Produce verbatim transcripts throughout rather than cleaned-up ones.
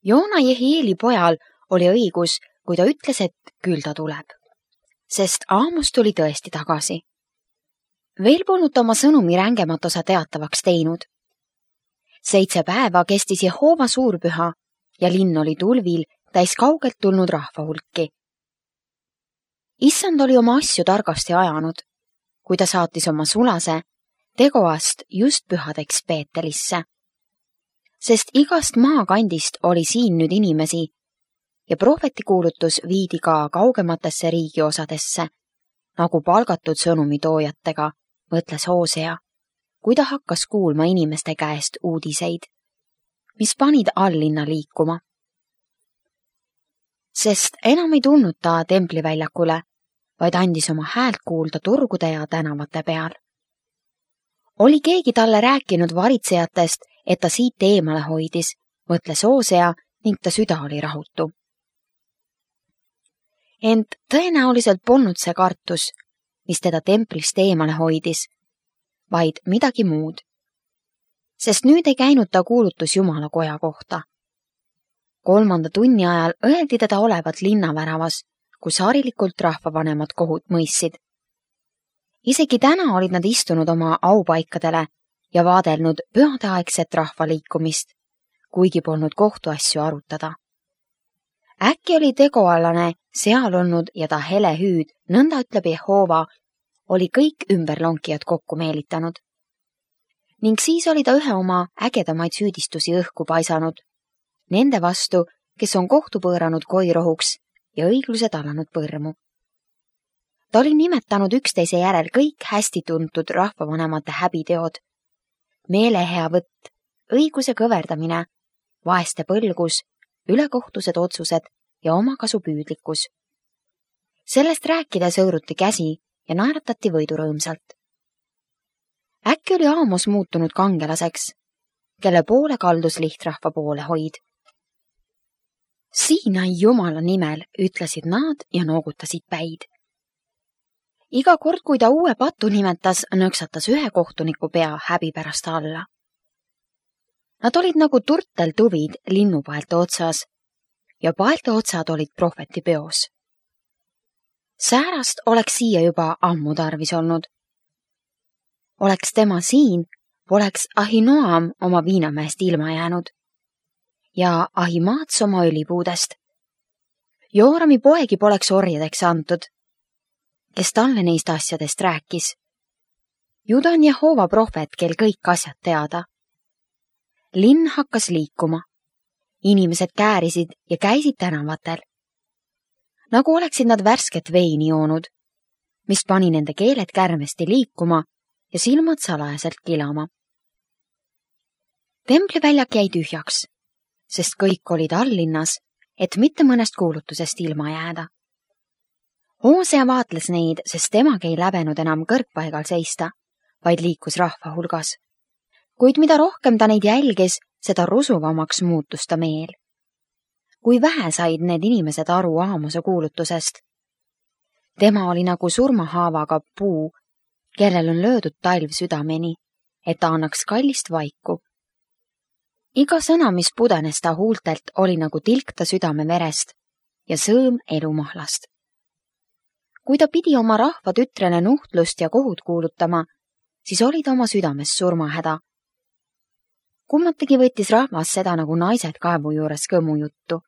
Joona Jehieli pojal oli õigus, kui ta ütles, et küll ta tuleb. Sest Aamos tuli tõesti tagasi. Veel polnud ta oma sõnumi rängemat osa teatavaks teinud. Seitse päeva kestis Jehova suurpüha ja linn oli tulvil täis kaugelt tulnud rahva hulki. Issand oli oma asju targasti ajanud, kui ta saatis oma sulase Tegoast just pühadeks Peetelisse. Sest igast maakandist oli siin nüüd inimesi ja prohvetikuulutus viidi ka kaugematesse riigiosadesse, nagu palgatud sõnumitoojatega, mõtles Hoosea, kui ta hakkas kuulma inimeste käest uudiseid, mis panid alllinna liikuma. Sest enam ei tulnud ta templiväljakule, vaid andis oma häält kuulda turgude ja tänavate peal. Oli keegi talle rääkinud varitsejatest, et ta siit eemale hoidis, mõtles Hoosea ning ta süda oli rahutu. Ent tõenäoliselt polnud see kartus, mis teda templist eemale hoidis, vaid midagi muud. Sest nüüd ei käinud ta kuulutus Jumala koja kohta. Kolmanda tunni ajal õeldi teda olevat linnaväravas, kus harilikult rahvavanemad kohut mõistsid. Isegi täna olid nad istunud oma aupaikadele ja vaadelnud pühadeaegset rahvaliikumist, kuigi polnud kohtuasju arutada. Äkki oli tegoallane seal olnud ja ta hele hüüd, nõnda ütleb Jehova, oli kõik ümberlonkijad kokku meelitanud. Ning siis oli ta ühe oma ägedamaid süüdistusi õhku paisanud, nende vastu, kes on kohtu põõranud koirohuks ja õigluse tallanud põrmu. Ta oli nimetanud üksteise järel kõik hästi tuntud rahvavanemate häbiteod, meelehea võtt, õiguse kõverdamine, vaeste põlgus, ülekohtused otsused ja omakasupüüdlikkus. Sellest rääkides õõruti käsi ja naeratati võidurõõmsalt. Äkki oli Aamos muutunud kangelaseks, kelle poole kaldus lihtrahva poole hoid. Siinai Jumala nimel, ütlesid nad ja noogutasid päid. Iga kord, kui ta uue patu nimetas, nõksatas ühe kohtuniku pea häbi pärast alla. Nad olid nagu turteltuvid linnupaelte otsas ja paelte otsad olid prohveti peos. Säärast oleks siia juba ammu tarvis olnud. Oleks tema siin, poleks Ahinoam oma viinamäest ilma jäänud ja Ahimaats oma õlipuudest. Joorami poegi poleks orjadeks antud, kes talle neist asjadest rääkis. Juda on Jehova prohvet, kel kõik asjad teada. Linn hakkas liikuma. Inimesed käärisid ja käisid tänavatel. Nagu oleksid nad värsket veini joonud, mis pani nende keeled kärmesti liikuma ja silmad salajaselt kilama. Templiväljak jäi tühjaks, sest kõik olid alllinnas, et mitte mõnest kuulutusest ilma jääda. Hoosea vaatles neid, sest temagi ei läbenud enam kõrgpaigal seista, vaid liikus rahva hulgas. Kuid mida rohkem ta neid jälgis, seda rusuvamaks muutus ta meel. Kui vähe said need inimesed aru Aamose kuulutusest. Tema oli nagu surmahaavaga puu, kellel on löödud talv südameni, et ta annaks kallist vaiku. Iga sõna, mis pudenes ta huultelt, oli nagu tilk ta südame verest ja sõõm elumahlast. Kui ta pidi oma rahva tütrele nuhtlust ja kohut kuulutama, siis oli ta oma südames surmahäda. Kummatigi võttis rahvas seda nagu naised kaevu juures kõmu juttu.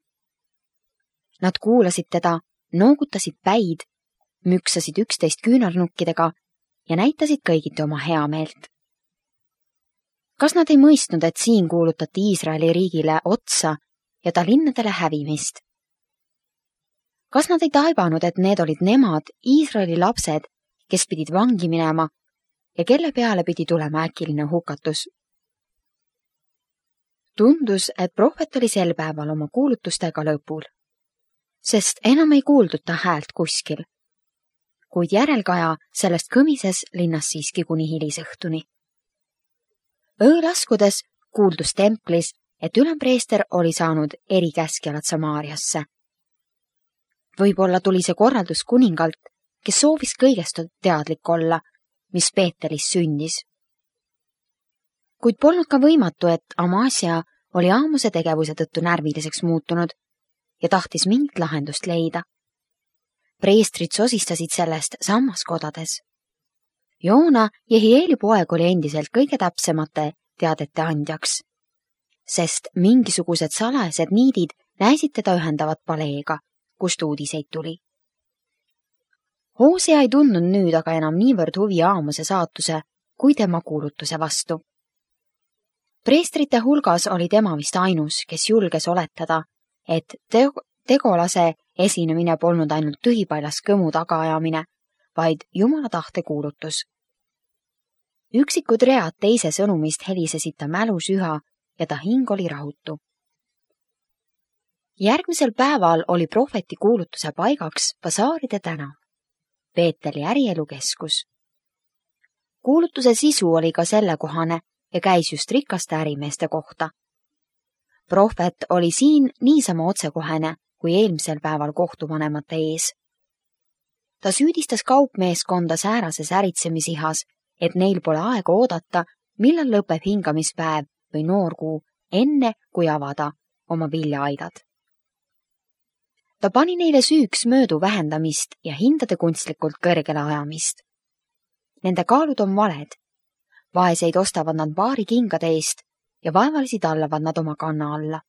Nad kuulasid teda, noogutasid päid, müksasid üksteist küünarnukkidega ja näitasid kõigiti oma heameelt. Kas nad ei mõistnud, et siin kuulutati Iisraeli riigile otsa ja ta linnadele hävimist? Kas nad ei taibanud, et need olid nemad, Iisraeli lapsed, kes pidid vangi minema ja kelle peale pidi tulema äkiline hukatus? Tundus, et prohvet oli sel päeval oma kuulutustega lõpul, sest enam ei kuuldud ta häält kuskil, kuid järelkaja sellest kõmises linnas siiski kuni hilisõhtuni. Öö laskudes kuuldus templis, et ülempreester oli saanud erikäskjalad Samaariasse. Võib-olla tuli see korraldus kuningalt, kes soovis kõigest teadlik olla, mis Peetelis sündis. Kuid polnud ka võimatu, et Amasia oli Aamose tegevuse tõttu närviliseks muutunud ja tahtis mingit lahendust leida. Preestrid sosistasid sellest sammaskodades. Joona, Jehieli poeg, oli endiselt kõige täpsemate teadete andjaks, sest mingisugused salajased niidid näisid teda ühendavat paleega, kust uudiseid tuli. Hoosea ei tundnud nüüd aga enam niivõrd huvi Aamose saatuse kui tema kuulutuse vastu. Preestrite hulgas oli tema vist ainus, kes julges oletada, et teg- tegolase esinemine polnud ainult tühipaljas kõmu tagaajamine, vaid Jumala tahte kuulutus. Üksikud read teise sõnumist helisesid ta mälus üha ja ta hing oli rahutu. Järgmisel päeval oli prohveti kuulutuse paigaks Basaaride tänav, Peeteli ärielukeskus. Kuulutuse sisu oli ka sellekohane ja käis just rikaste ärimeeste kohta. Prohvet oli siin niisama otsekohene kui eelmisel päeval kohtuvanemate ees. Ta süüdistas kaupmeeskonda säärases äritsemisihas, et neil pole aega oodata, millal lõpeb hingamispäev või noorkuu, enne kui avada oma viljaaidad. Ta pani neile süüks möödu vähendamist ja hindade kunstlikult kõrgele ajamist. Nende kaalud on valed. Vaeseid ostavad nad paari kingade eest ja vaevalisi tallavad nad oma kanna alla.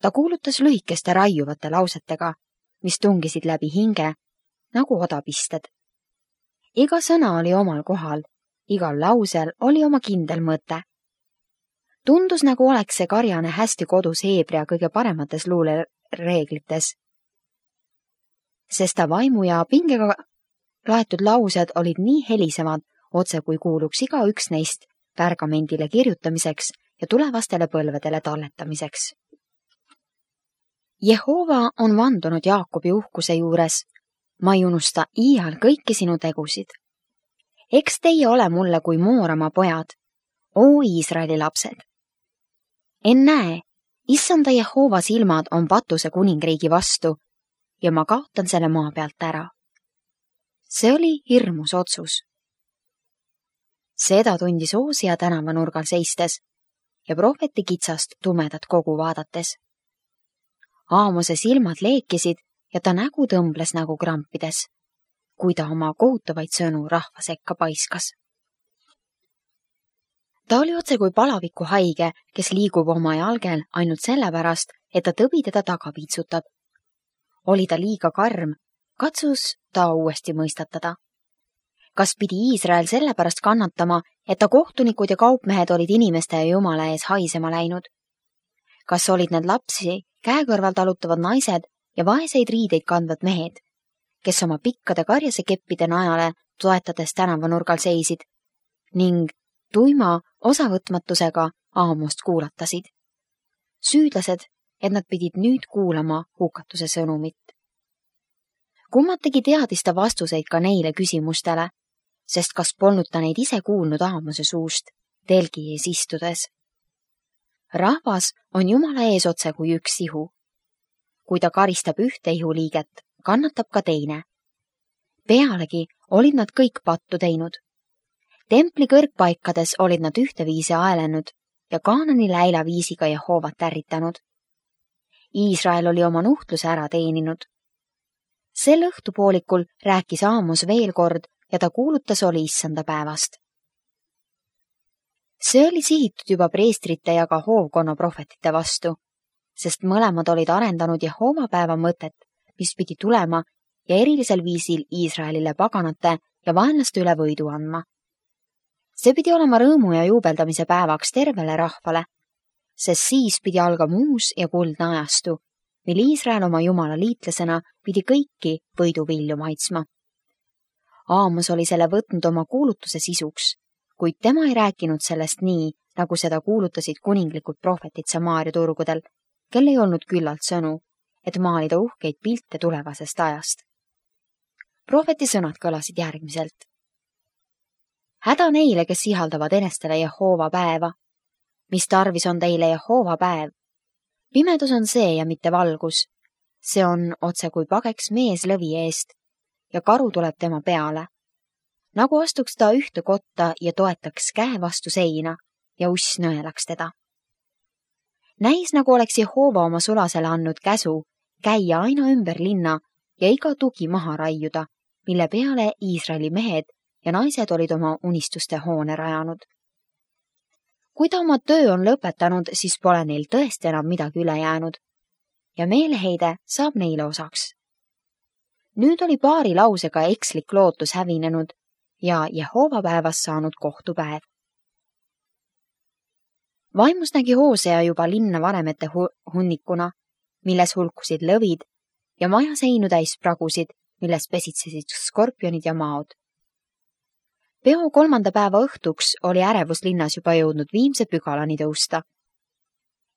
Ta kuulutas lühikeste raiuvate lausetega, mis tungisid läbi hinge, nagu odapisted. Iga sõna oli omal kohal, igal lausel oli oma kindel mõte. Tundus, nagu oleks see karjane hästi kodus Heebrea kõige paremates luulereeglites. Sest ta vaimu ja pingega laetud laused olid nii helisevad, otse kui kuuluks iga üks neist pärgamendile kirjutamiseks ja tulevastele põlvedele talletamiseks. Jehova on vandunud Jaakobi uhkuse juures. Ma ei unusta iial kõiki sinu tegusid. Eks teie ole mulle kui Moorama pojad, oo Iisraeli lapsed. En näe, issanda Jehova silmad on patuse kuningriigi vastu ja ma kaotan selle maa pealt ära. See oli hirmus otsus. Seda tundis Hoosea tänavanurgal seistes ja prohveti kitsast tumedat kogu vaadates. Aamose silmad leekisid ja ta nägu tõmbles nagu krampides, kui ta oma kohutavaid sõnu rahva sekka paiskas. Ta oli otse kui palaviku haige, kes liigub oma jalgel ainult sellepärast, et ta tõbi teda taga piitsutab. Oli ta liiga karm, katsus ta uuesti mõistatada. Kas pidi Iisrael sellepärast kannatama, et ta kohtunikud ja kaupmehed olid inimeste ja Jumala ees haisema läinud? Kas olid need lapsi käekõrval talutavad naised ja vaeseid riideid kandvad mehed, kes oma pikkade karjase keppide najale toetades tänavanurgal seisid ning tuima osavõtmatusega Aamost kuulatasid. Süüdlased, et nad pidid nüüd kuulama hukatuse sõnumit. Kummategi teadis ta vastuseid ka neile küsimustele, sest kas polnud ta neid ise kuulnud Aamose suust telgi ees istudes. Rahvas on Jumala ees otse kui üks ihu. Kui ta karistab ühte ihuliiget, kannatab ka teine. Pealegi olid nad kõik pattu teinud. Templi kõrgpaikades olid nad ühteviisi aelenud ja Kaanani läila viisiga Jehovat ärritanud. Iisrael oli oma nuhtluse ära teeninud. Sel õhtupoolikul rääkis Aamos veel kord ja ta kuulutas oli issanda päevast. See oli sihitud juba preestrite ja ka hoovkonna prohvetite vastu, sest mõlemad olid arendanud Jehova päeva mõtet, mis pidi tulema ja erilisel viisil Iisraelile paganate ja vaenlaste üle võidu andma. See pidi olema rõõmu ja juubeldamise päevaks tervele rahvale, sest siis pidi algama uus ja kuldne ajastu, mil Iisrael oma Jumala liitlasena pidi kõiki võidu vilju maitsma. Aamos oli selle võtnud oma kuulutuse sisuks, kuid tema ei rääkinud sellest nii, nagu seda kuulutasid kuninglikud prohvetid Samaaria turgudel, kel ei olnud küllalt sõnu, et maalida uhkeid pilte tulevasest ajast. Prohveti sõnad kõlasid järgmiselt. Häda neile, kes ihaldavad enestele Jehova päeva. Mis tarvis on teile Jehova päev? Pimedus on see ja mitte valgus. See on otse kui pageks mees lõvi eest ja karu tuleb tema peale. Nagu astuks ta ühte kotta ja toetaks käe vastu seina ja uss nõelaks teda. Näis, nagu oleks Jehova oma sulasele andnud käsu käia aina ümber linna ja iga tugi maha raiuda, mille peale Iisraeli mehed ja naised olid oma unistuste hoone rajanud. Kui ta oma töö on lõpetanud, siis pole neil tõesti enam midagi üle jäänud ja meeleheide saab neile osaks. Nüüd oli paari lausega ekslik lootus hävinenud ja Jehova päevast saanud kohtupäev. Vaimus nägi Hoosea juba linna varemete hunnikuna, milles hulkusid lõvid ja maja seinu täis pragusid, milles pesitsesid skorpionid ja maod. Peo kolmanda päeva õhtuks oli ärevus linnas juba jõudnud viimse pügalani tõusta.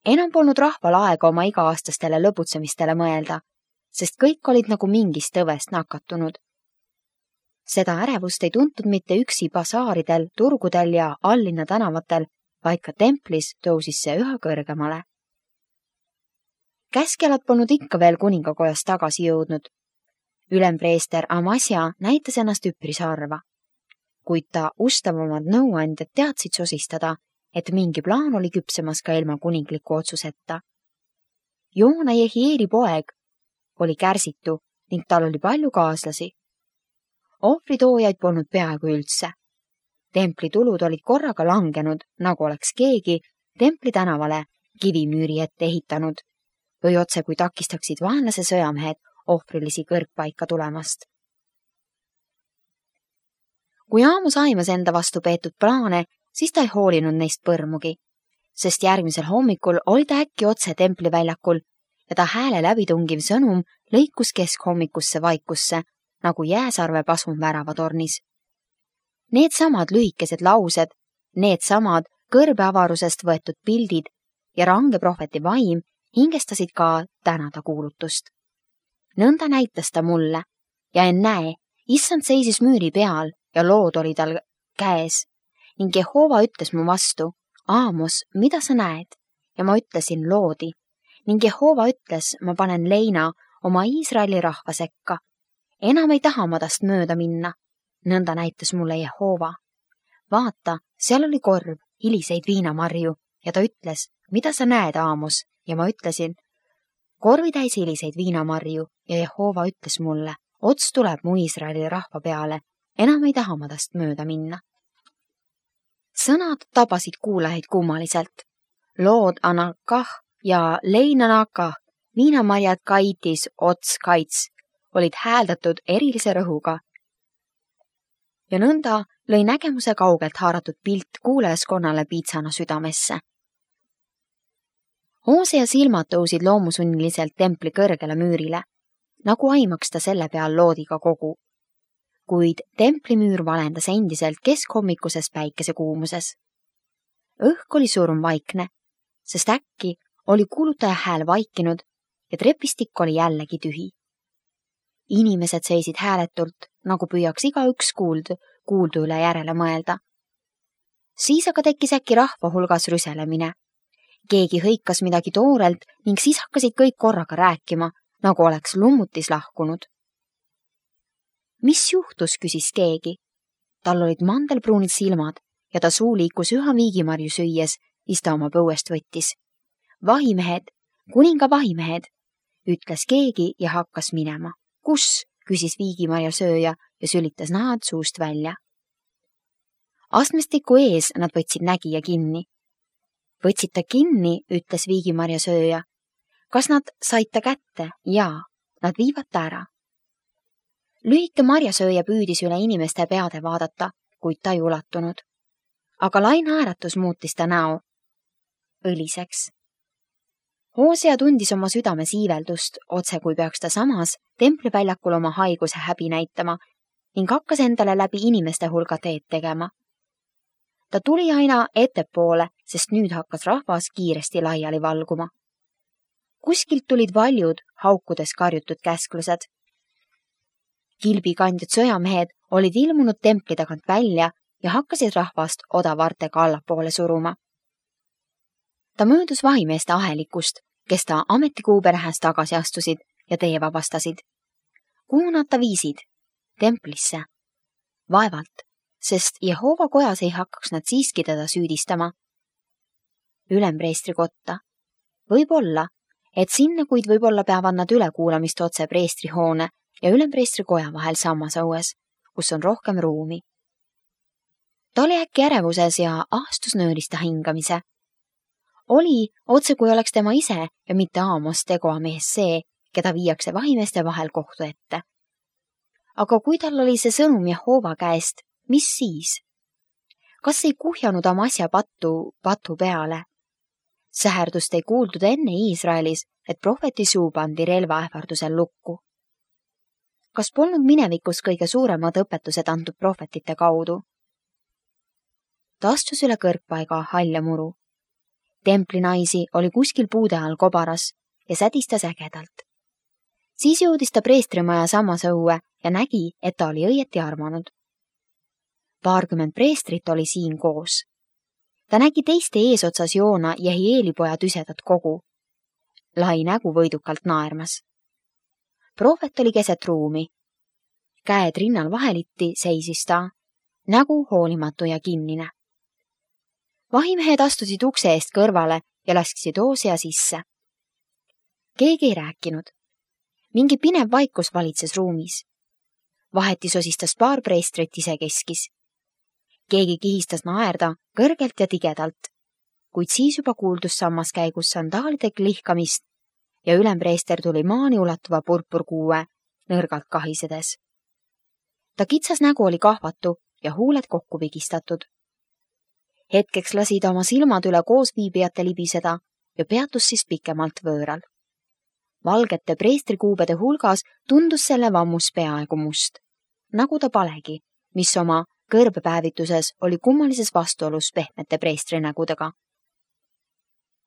Enam polnud rahval aega oma iga-aastastele lõbutsemistele mõelda, sest kõik olid nagu mingist tõvest nakatunud. Seda ärevust ei tuntud mitte üksi basaaridel, turgudel ja alllinna tänavatel, vaid ka templis tõusis see üha kõrgemale. Käskjalad polnud ikka veel kuningakojast tagasi jõudnud. Ülempreester Amasja näitas ennast üpris harva, kuid ta ustavamad nõuandjad teadsid sosistada, et mingi plaan oli küpsemas ka ilma kuningliku otsuseta. Joona Jehieli poeg oli kärsitu ning tal oli palju kaaslasi. Ohvritoojaid polnud peaaegu üldse. Templi tulud olid korraga langenud, nagu oleks keegi templi tänavale kivimüüri ette ehitanud või otse kui takistaksid vaenlase sõjamehed ohvrilisi kõrgpaika tulemast. Kui Aamus aimas enda vastu peetud plaane, siis ta ei hoolinud neist põrmugi, sest järgmisel hommikul oli ta äkki otse templiväljakul ja ta hääle läbitungiv sõnum lõikus keskhommikusse vaikusse, nagu jääsarve pasun väravatornis. Need samad lühikesed laused, need samad kõrbeavarusest võetud pildid ja range prohveti vaim hingestasid ka tänada kuulutust. Nõnda näitas ta mulle ja ennäe, issand seisis müüri peal ja lood oli tal käes ning Jehova ütles mu vastu, Aamos, mida sa näed? Ja ma ütlesin loodi ning Jehova ütles, ma panen leina oma Iisraeli rahva sekka. Enam ei taha ma tast mööda minna. Nõnda näitas mulle Jehova. Vaata, seal oli korv, hiliseid viinamarju ja ta ütles, mida sa näed, Aamos? Ja ma ütlesin, korvi täis hiliseid viinamarju ja Jehova ütles mulle, ots tuleb mu Iisraeli rahva peale, enam ei taha ma tast mööda minna. Sõnad tabasid kuulajaid kummaliselt. Lood Anakah ja Leinanakah, viinamarjad Kaitis ots kaits, olid hääldatud erilise rõhuga. Ja nõnda lõi nägemuse kaugelt haaratud pilt kuulajaskonnale piitsana südamesse. Hoosea silmad tõusid loomusunniliselt templi kõrgele müürile, nagu aimaks ta selle peal loodiga kogu. Kuid templimüür valendas endiselt keskhommikuses päikesekuumuses. Õhk oli surmvaikne, sest äkki oli kuulutaja hääl vaikinud ja trepistik oli jällegi tühi. Inimesed seisid hääletult, nagu püüaks igaüks kuuld, kuuldu üle järele mõelda. Siis aga tekkis äkki rahva hulgas rüselemine. Keegi hõikas midagi toorelt ning siis hakkasid kõik korraga rääkima, nagu oleks lummutis lahkunud. Mis juhtus, küsis keegi. Tal olid mandelpruunid silmad ja ta suu liikus üha viigimarju süües, mis ta oma põuest võttis. Vahimehed, kuninga vahimehed, ütles keegi ja hakkas minema. Kus? Küsis viigimarja sööja ja sülitas nahad suust välja. Astmestiku ees nad võtsid nägija kinni. Võtsid ta kinni, ütles viigimarja sööja. Kas nad said ta kätte? Jaa, nad viivad ta ära. Lühike marjasööja püüdis üle inimeste peade vaadata, kuid ta ei ulatunud. Aga lainhaäratus muutis ta näo õliseks. Hoosea tundis oma südame siiveldust, otse kui peaks ta samas templiväljakul oma haiguse häbi näitama ning hakkas endale läbi inimeste hulga teed tegema. Ta tuli aina ettepoole, sest nüüd hakkas rahvas kiiresti laiali valguma. Kuskilt tulid valjud, haukudes karjutud käsklused. Kilbikandjad sõjamehed olid ilmunud templi tagant välja ja hakkasid rahvast odavartega allapoole suruma. Ta möödus vahimeeste ahelikust, kes ta ametikuuberhäs tagasi astusid ja tee vabastasid. Kuhu nad ta viisid? Templisse. Vaevalt, sest Jehova kojas ei hakkaks nad siiski teda süüdistama. ülempreestri kotta. Võib-olla, et sinna, kuid võib-olla peavad nad ülekuulamist otse preestrihoone ja ülempreestri koja vahel sammas õues, kus on rohkem ruumi. Ta oli äkki ärevuses ja ahastus nöörista hingamise. Oli, otse kui oleks tema ise ja mitte Aamos tegoa mees see, keda viiakse vahimeeste vahel kohtu ette. Aga kui tal oli see sõnum Jehova käest, mis siis? Kas ei kuhjanud Amasja pattu patu peale? Säherdust ei kuuldud enne Iisraelis, et prohveti suu pandi relvaähvardusel lukku. Kas polnud minevikus kõige suuremad õpetused antud prohvetite kaudu? Ta astus üle kõrgpaiga halja muru. Templinaisi oli kuskil puude all kobaras ja sädistas ägedalt. Siis jõudis ta preestrimaja samas õue ja nägi, et ta oli õieti armanud. Paarkümmend preestrit oli siin koos. Ta nägi teiste eesotsas Joona ja Jehielipoja tüsedat kogu. Lai nägu võidukalt naermas. Prohvet oli keset ruumi. Käed rinnal vaheliti seisis ta, nägu hoolimatu ja kinnine. Vahimehed astusid ukse eest kõrvale ja laskisid Hoosea sisse. Keegi ei rääkinud. Mingi pinev vaikus valitses ruumis. Vaheti sosistas paar preestrit isekeskis. Keegi kihistas naerda kõrgelt ja tigedalt, kuid siis juba kuuldus sammas käigus sandaalide klihkamist ja ülempreester tuli maani ulatuva purpurkuue nõrgalt kahisedes. Ta kitsas nägu oli kahvatu ja huuled kokku vigistatud. Hetkeks lasi ta oma silmad üle koosviibijate libiseda ja peatus siis pikemalt võõral. Valgete preestrikuubede hulgas tundus selle vammus peaaegu must, nagu ta palegi, mis oma kõrbepäevituses oli kummalises vastuolus pehmete preestrinägudega.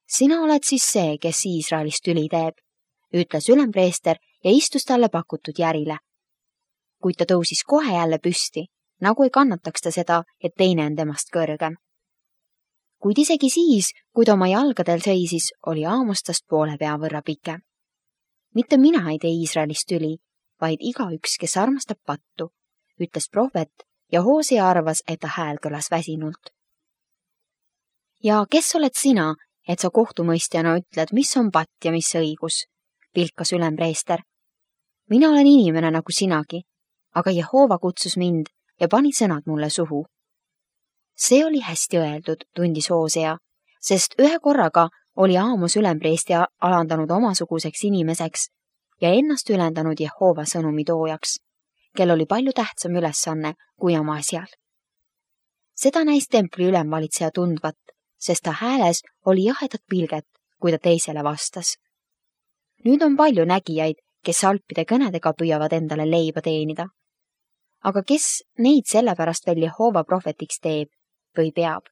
Sina oled siis see, kes Iisraelist tüli teeb, ütles ülempreester ja istus talle pakutud järile. Kuid ta tõusis kohe jälle püsti, nagu ei kannataks ta seda, et teine on temast kõrgem. Kuid isegi siis, kui ta oma jalgadel seisis, oli Aamostast poole pea võrra pikem. Mitte mina ei tee Iisraelist tüli, vaid igaüks, kes armastab pattu, ütles prohvet ja Hoosea arvas, et ta hääl kõlas väsinult. Ja kes oled sina, et sa kohtumõistjana ütled, mis on patt ja mis õigus, pilkas ülempreester. Mina olen inimene nagu sinagi, aga Jehova kutsus mind ja pani sõnad mulle suhu. See oli hästi öeldud, tundis Hoosea, sest ühe korraga oli Aamos ülempreesti alandanud omasuguseks inimeseks ja ennast ülendanud Jehova sõnumi toojaks, kel oli palju tähtsam ülesanne kui oma asjal. Seda näis templi ülemvalitseja tundvat, sest ta hääles oli jahedat pilget, kui ta teisele vastas. Nüüd on palju nägijaid, kes alpide kõnedega püüavad endale leiba teenida. Aga kes neid sellepärast veel Jehova prohvetiks teeb või peab?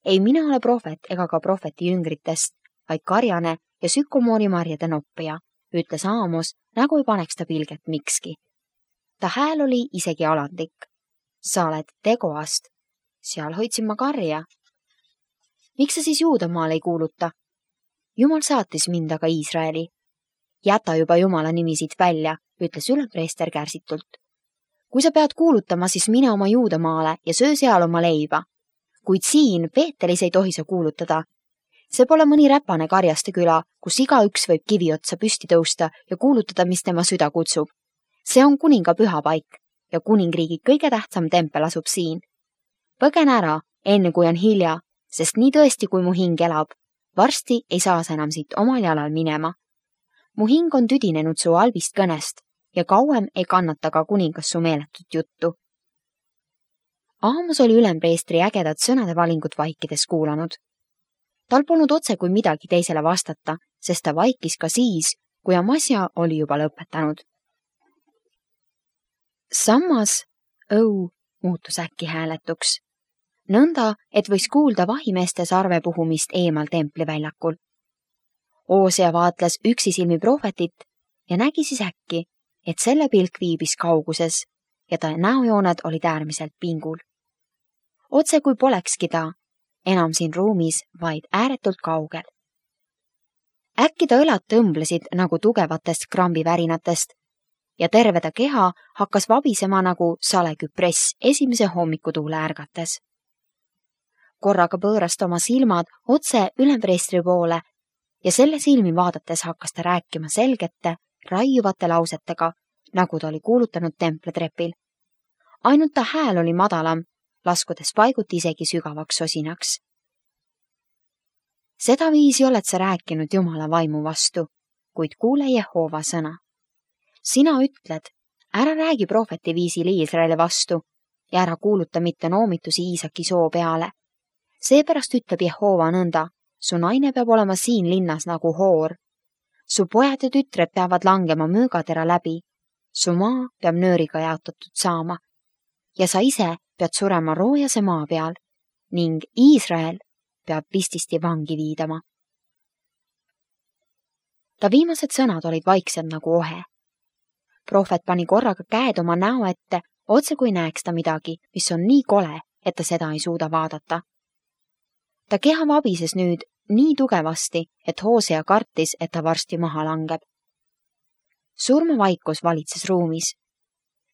Ei mina ole prohvet ega ka prohveti jüngritest, vaid karjane ja sükomoori marjade noppija, ütles Aamos, nagu ei paneks ta pilget mikski. Ta hääl oli isegi alandlik. Sa oled tegoast. Seal hoidsin ma karja. Miks sa siis Juudamaal ei kuuluta? Jumal saatis mind aga Iisraeli. Jäta juba Jumala nimi siit välja, ütles ülempreester kärsitult. Kui sa pead kuulutama, siis mine oma Juudamaale ja söö seal oma leiba. Kuid siin Peetelis ei tohi sa kuulutada. See pole mõni räpane karjaste küla, kus igaüks võib kivi otsa püsti tõusta ja kuulutada, mis tema süda kutsub. See on kuninga pühapaik ja kuningriigi kõige tähtsam tempel asub siin. Põgen ära, enne kui on hilja, sest nii tõesti, kui mu hing elab, varsti ei saa sa enam siit omal jalal minema. Mu hing on tüdinenud su albist kõnest ja kauem ei kannata ka kuningas su meeletut juttu. Aamos oli ülempreestri ägedat sõnade valingut vaikides kuulanud. Tal polnud otse kui midagi teisele vastata, sest ta vaikis ka siis, kui Amasja oli juba lõpetanud. Sammas õu muutus äkki hääletuks. Nõnda, et võis kuulda vahimeeste sarve puhumist eemal templiväljakul. Hoosea vaatles üksisilmi prohvetit ja nägi siis äkki, et selle pilk viibis kauguses ja ta näojooned olid äärmiselt pingul. Otse kui polekski ta enam siin ruumis, vaid ääretult kaugel. Äkki ta õlad tõmblesid nagu tugevatest krambivärinatest ja terve ta keha hakkas vabisema nagu saleküpress esimese hommikutuule ärgates. korraga pööras ta oma silmad otse ülempreestri poole ja selle silmi vaadates hakkas ta rääkima selgete, raiuvate lausetega, nagu ta oli kuulutanud templitrepil. Ainult ta hääl oli madalam, laskudes paiguti isegi sügavaks sosinaks. Seda viisi oled sa rääkinud Jumala vaimu vastu, kuid kuule Jehova sõna. Sina ütled, ära räägi prohveti viisil Iisraeli vastu ja ära kuuluta mitte noomitusi Iisaki soo peale. Seepärast ütleb Jehova nõnda, su naine peab olema siin linnas nagu hoor. Su pojad ja tütred peavad langema möögatera läbi, su maa peab nööriga jaotatud saama ja sa ise pead surema roojase maa peal ning Iisrael peab pististi vangi viidama. Ta viimased sõnad olid vaiksed nagu ohe. Prohvet pani korraga käed oma näo ette, otse kui näeks ta midagi, mis on nii kole, et ta seda ei suuda vaadata. Ta keha vabises nüüd nii tugevasti, et Hoosea kartis, et ta varsti maha langeb. Surmavaikus valitses ruumis.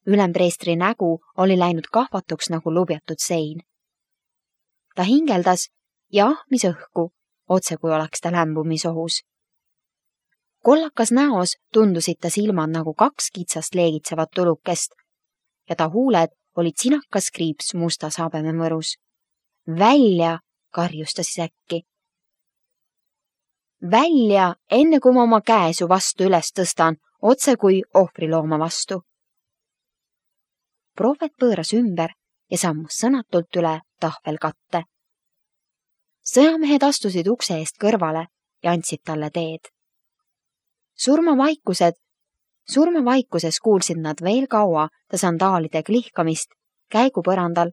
Ülempreestri nägu oli läinud kahvatuks nagu lubjatud sein. Ta hingeldas ja ahmis õhku, otse kui oleks ta lämbumisohus. Kollakas näos tundusid ta silmad nagu kaks kitsast leegitsevat tulukest ja ta huuled olid sinakas kriips mustas habememõrus. Välja, karjus ta siis äkki. Välja, enne kui ma oma käe su vastu üles tõstan, otse kui ohvrilooma vastu. Prohvet pööras ümber ja sammus sõnatult üle tahvelkatte. Sõjamehed astusid ukse eest kõrvale ja andsid talle teed. Surmavaikused, surmavaikuses kuulsid nad veel kaua ta sandaalide klihkamist käigu põrandal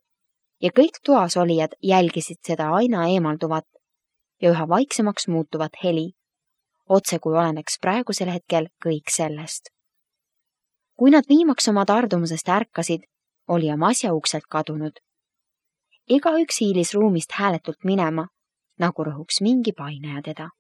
ja kõik toas olijad jälgisid seda aina eemalduvat ja üha vaiksemaks muutuvat heli, otse kui oleneks praegusel hetkel kõik sellest. Kui nad viimaks oma tardumusest ärkasid, oli oma asja ukselt kadunud. Iga üks hiilis ruumist hääletult minema, nagu rõhuks mingi paineja teda.